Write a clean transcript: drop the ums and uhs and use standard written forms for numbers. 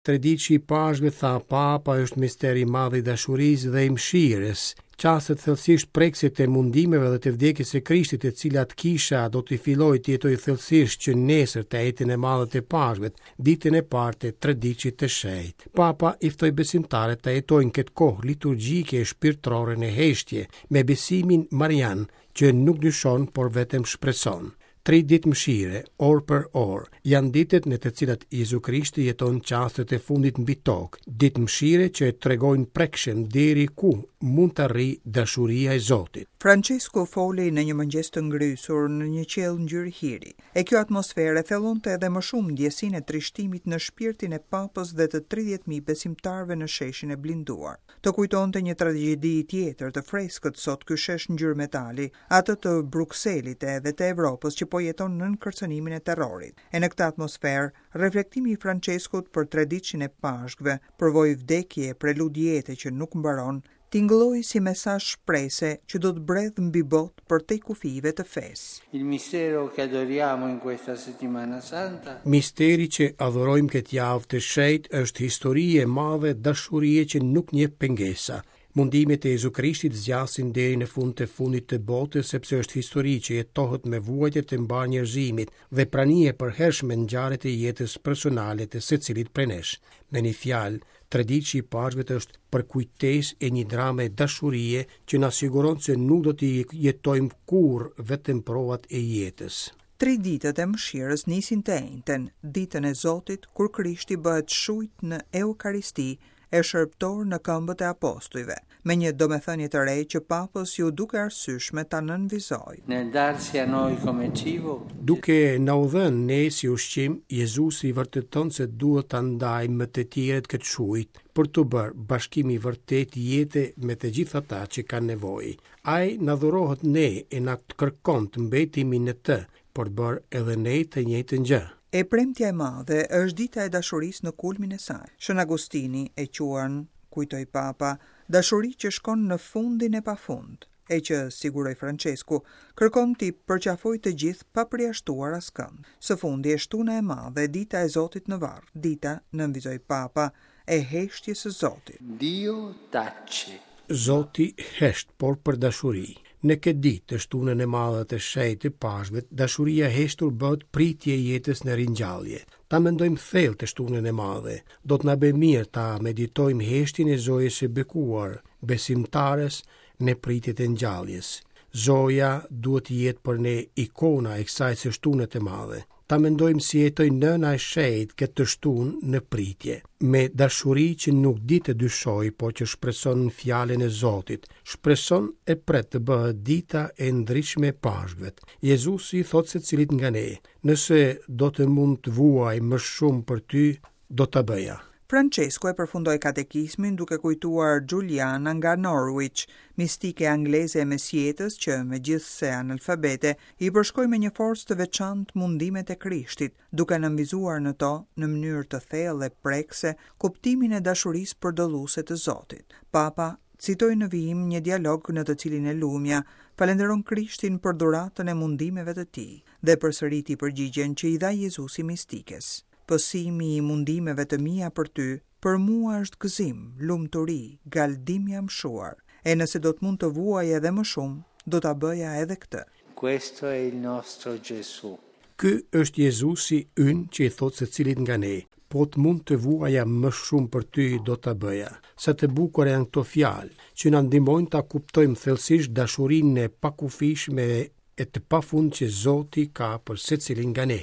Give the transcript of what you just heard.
Treditëshi i Pashkëve, tha Papa, është mister i madh i dashurisë dhe i mëshirës. Çastet thellësisht prekëse të mundimeve dhe të vdekjes së Krishtit, të cilat Kisha do të fillojë t'i jetojë thellësisht që nesër të Enjten e Madhe të Pashkëve, ditën e parë të Treditëshit të Shenjtë. Papa i ftoi besimtarët ta jetojnë këtë kohë liturgjike e shpirtërore në heshtje, me besimin marian, që nuk dyshon, por vetëm shpreson. Tri ditë mëshire, orë për orë, janë ditët në të cilat Jezu Krishti jeton çastet e fundit mbi tokë, ditë mëshire që e tregojnë prekshëm deri ku mund të arrijë dashuria e Zotit. Françesku foli në një mëngjes të ngrysur në një qiell ngjyrë hiri, e kjo atmosferë e thellonte edhe më shumë ndjesinë e trishtimit në shpirtin e Papës dhe të 30.000 besimtarëve në sheshin e blinduar. Të kujtonte një tragjedi tjetër të freskët sot ky shesh ngjyrë metali, atë të Brukselit edhe të Evropës që po jeton nën kërcënimin e terrorit. E në këtë atmosferë, reflektimi i Françeskut për treditëshin e Pashkëve, përvojë vdekje e prelud jete që nuk mbaron, tingëlloi si mesazh shprese që do të bredhë mbi botë përtej kufijve të fesë. Il mistero che adoriamo in questa settimana santa. Misteri që adhurojmë këtë javë të shenjtë është histori e madhe dashurie që nuk njeh pengesa. Mundimet e Jezu Krishtit zgjasin deri në fund të fundit të botës sepse është histori që jetohet me vuajtjet e mbarë njerëzimit dhe prani e përhershme në ngjarjet e jetës personale të secilit prej nesh. Me një fjalë, Treditëshi i Pashkëve është përkujtesë e një drame dashurie që na siguron se nuk do t'i jetojmë kurrë vetëm provat e jetës. Tri ditët e mëshirës nisin të enjten, ditën e Zotit, kur Krishti bëhet shujtë në Eukaristi e shërbëtor në këmbët e apostujve, me një domethënie të re që Papës iu duk e arsyeshme ta nënvizojë. Nel darsi a noi come cibo. Duke na u dhënë ne si ushqim, Jezusi vërteton se duhet ta ndajmë me të tjerët këtë shujtë, për t'u bërë bashkim i vërtetë jete me të gjithë ata që kanë nevojë. Ai na dhurohet ne e na kërkon të mbetemi në të, për të bërë edhe ne të njëjtën gjë. E premtja e madhe është dita e dashurisë në kulmin e saj. Shën Agustini e quan, kujtoi Papa, dashuri që shkon në fundin e pafund, e që, siguroi Françesku, kërkon t'i përqafojë të gjithë pa përjashtuar askënd. Së fundi, e shtuna e madhe, dita e Zotit në varr, dita, nënvizoi Papa, e heshtjes së Zotit. Dio tace. Zoti hesht, por për dashuri. Në këtë ditë, të shtunën e madhe të shenjtë të Pashkëve, dashuria e heshtur bëhet pritje e jetës në ringjallje. Ta mendojmë thellë të shtunën e madhe. Do të na bëjë mirë ta meditojmë heshtjen e Zojës së bekuar, besimtares në pritje të ngjalljes. Zoja duhet të jetë për ne ikona e kësaj së shtune të madhe. Ta mendojmë si jetoi nëna e shenjtë këtë të shtunë në pritje, me dashuri që nuk di të dyshojë, por që shpreson në fjalën e Zotit, shpreson e pret të bëhet dita e ndritshme e Pashkëve. Jezusi i thotë secilit nga ne, nëse do të mund të vuaj më shumë për ty, do ta bëja. Françesku e përfundoi katekizmin duke kujtuar Juliana nga Norwich, mistike angleze e mesjetës që, megjithëse analfabete, i përshkoi me një forcë të veçantë mundimet e Krishtit, duke nënvizuar në to, në mënyrë të thellë e prekëse, kuptimin e dashurisë përdëlluese të Zotit. Papa citoi në vijim një dialog në të cilin e lumja falënderon Krishtin për dhuratën e mundimeve të tij dhe përsëriti përgjigjen që i dha Jezusi mistikes. Pësimi i mundimeve të mia për ty, për mua është gëzim, lumturi, galdim i amshuar. E nëse do të mund të vuaja edhe më shumë, do ta bëja edhe këtë. Questo è il nostro Gesù. Ky është Jezusi ynë që i thotë secilit nga ne, Po të mund të vuaja më shumë për ty, do ta bëja. Sa të bukura janë këto fjalë, që na ndihmojnë ta kuptojmë thellësisht dashurinë e pakufishme e të pafund që Zoti ka për secilin nga ne.